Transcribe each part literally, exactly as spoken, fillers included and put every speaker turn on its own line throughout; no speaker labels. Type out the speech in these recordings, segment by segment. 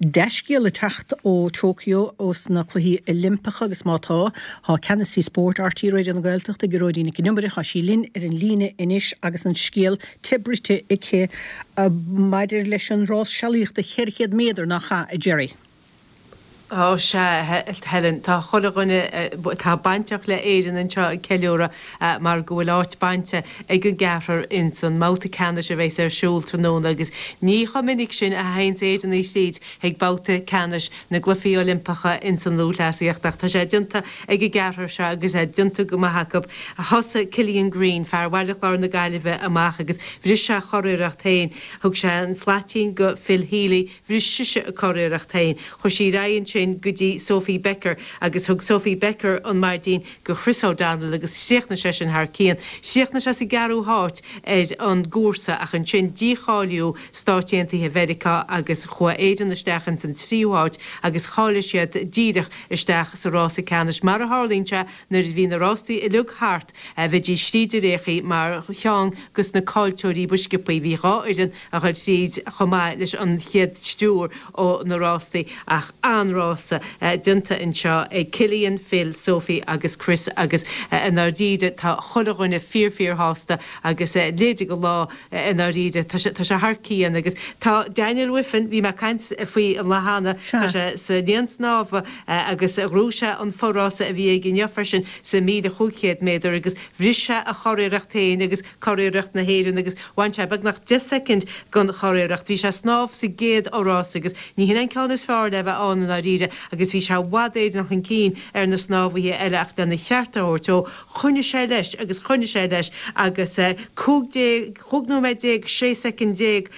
dea-scéal ag teacht ó Tokyo ós na Cluichí Oilimpeacha agus má tá, tá ceannasaí spóirt R T É Raidió na Gaeltachta, Gearóidín Nic an Iomaire, tá sí linn ar an líne anois agus an scéal te bruite aici maidir leis an rás sealaíochta ceithre chéad méadar, nach ea, a Gerry?
Ó sea, Helen, tá chuile dhuine atá bainteach le Éirinn anseo ag ceiliúradh mar go bhfuil áit bainte ag an gceathrar ins an mbabhta ceannais a bheas ar siúl tráthnóna agus ní chomh minic sin a théanns Éireannaigh tríd chuig babhta ceannais na gCluichí Oilimpeacha ins an lúthchleasaíocht ach tá sé déanta ag an gceathrar seo agus é déanta go maith acu. Thosaigh Cillian Greene, fear Bhaile Chláir na Gaillimhe, amach agus bhris sé a churiarracht féin. Thug sé an slaitín go Phil Healy, bhris sise a curiarracht féin. Chuaigh sí ar aghaidh ansin go dtí Sophie Becker agus thug Sophie Becker an maidín go Chris O'Donnell agus chríochnaigh seisean thar cionn. Chríochnaigh sé sa gceathrú háit ar an gcúrsa ach ansin dícháilíodh Stáit Aontaithe Mheiriceá agus chuaigh Éirinn isteach ins an tríú háit agus cháiligh siad díreach isteach sa rása ceannais. Mar a tharlaíonn sé nuair a bhí na rástaí uilig thart bheidís tríd ar aon chaoi mar cheann dos na caillteoirí ba sciobthaí. Bhí dhá fhoireann a ghoil tríd chomh maith leis an chéad triúr ó na rástaí ach an-rása déanta anseo ag Cillian, Phil, Sophie agus Chris agus i ndáiríre tá chuile dhuine fíor fíor shásta agus leide go lá i ndáiríre tá sé thar cionn agus tá Daniel Wiffen, bhí mé ag caint faoi an lá cheana, tá sé sa linn snámha agus ghnóthaigh sé an forása a bhí aige inniu freisin sa míle chúig chéad méadar agus bhris sé a churiarracht féin agus curiarracht na hÉireann agus bhain sé beagnach deich soicind den churiarracht. Bhí sé ag snámh sa gcéad fhorás agus ní hin an ceann is fearr le bheith ann i ndáiríre agus bhí sé i bhfad Éireann chun cinn ar na snámhaithe eile ach lena cheart a thabhairt dó choinnigh sé leis agus choinnigh sé leis agus cúig déag cúig nóiméad déag sé soicind déag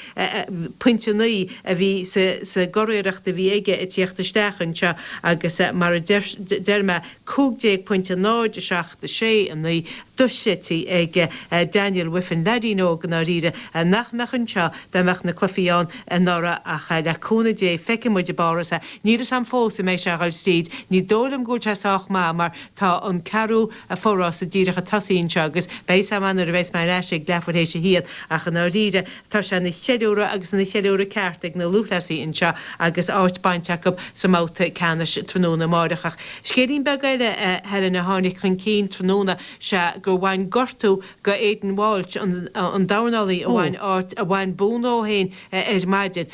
pointe naoi a bhí sa gcuriarracht a bhí aige ag tíocht isteach anseo agus mar a deir mé cúig déag pointe náid seacht sé a naoi dochreidte ag Daniel Wiffen, leaidín óg i ndáiríre nach mbeadh anseo dá mbeadh na cluichí ann anuraidh ach le cúnamh Dé feicfidh muid i bPáras é. Níl a fhios agam fós an mbeidh sé a dhul tríd, ní dóigh liom go bhfuil sé sách maith mar tá an ceathrú forása díreach ag tosaí anseo agus beidh a fhios agam nuair a bheas mé ar ais ag leathuair théis a haon ach i ndáiríre tá sé ina cheiliúradh agus ina cheiliúradh ceart ag na lúthchleasaithe anseo agus áit bainte acu sa mbabhta ceannais tráthnóna amáireach. Ach scéilín beag eile Helen a tháinig chun cinn tráthnóna sea gur bhain gortú go Aidan Walsh an an dornálaí a bhain áit a bhain bonn dó féin ar maidin.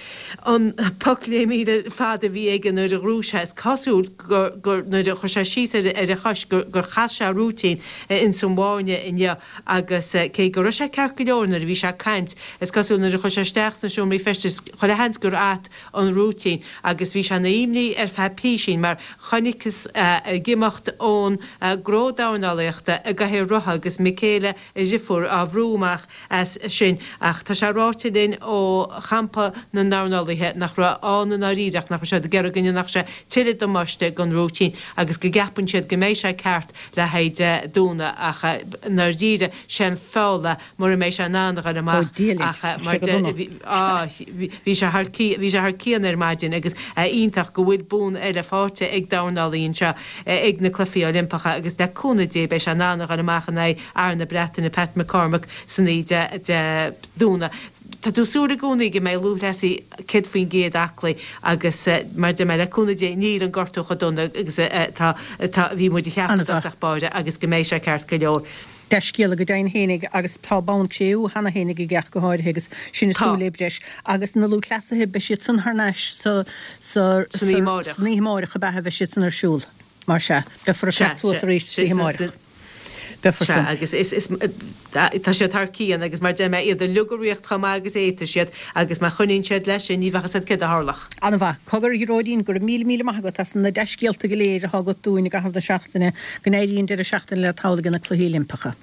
An poc leathmhíle fada a bhí aige nuair a ghnóthaigh sé is cosúil gur gur nuair a chuir sé síos ar ar a chois gur gur chas sé rúitín ins an bhfáinne inniu agus cé go raibh sé ceart go leor nuair a bhí sé ag caint is cosúil nuair a chuir sé isteach sna seomraí feistis chuile sheans gur at an rúitín agus bhí sé ina imní ar feadh písín mar chonacthas ag imeacht ón gcró dornálaíochta i gcathaoir rotha agus Michaela a dheirfiúr á bhrú amach as sin ach tá sé ráite linn ó champa na ndornálaithe nach raibh ann i ndáiríre ach nach raibh siad ag iarraidh go ndéanfadh sé tuilleadh damáiste don rúitín agus go gceapann siad go mbeidh sé ceart le haghaidh Domhnach ach i ndáiríre sé an feall mura mbeidh sé in ann a dhul amach ach mar bhí sé thar bhí sé thar cionn ar maidin agus iontach go bhfuil bonn eile faighte ag dornálaí anseo ag na Cluichí Oilimpeacha agus le cúnamh Dé beidh sé in ann a dhul amach in aghaidh fhear na Breataine Pat McCormack san oíche Dé Domhnaigh. Tá tú ag súil i gcónaí go mbeidh lúthchleasaí céad faoin gcéad aclaí agus mar a deir mé le cúnamh Dé níl an gortú chomh dona agus atá atá bhí muid a cheapadh i dtosach báire agus go mbeidh sé ceart go leor.
Dea-scéala go deimhin fhéinig agus tá bonn cré-umha cheana fhéinig aige ach go háirithe agus sinn ag
Tá.
súil le breis agus na lúthchleasaithe beidh siad san thar n-ais sa sa
San oíche amárach.
san oíche amárach ab ea a bheidh siad san ar siúl mar sea beifear ag
Sea,
teacht suas
sea,
arís
sea,
san oíche amárach. Beifear
Sea,
san.
agus is, is, tá siad thar cionn agus mar deir mé iad uilig ag rith chomh maith agus a fhéadfaidh siad agus má choinníonn siad leis sin ní bheadh a fhios agat céard a tharlódh.
An-mhaith. Cogar, a Ghearóidín, go raibh míle míle maith agat as na dea-scéalta go léir atá agat dúinn i gcaitheamh na seachtaine. Go n-éirí an deireadh seachtaine leat thall ag na Cluichí Oilimpeacha.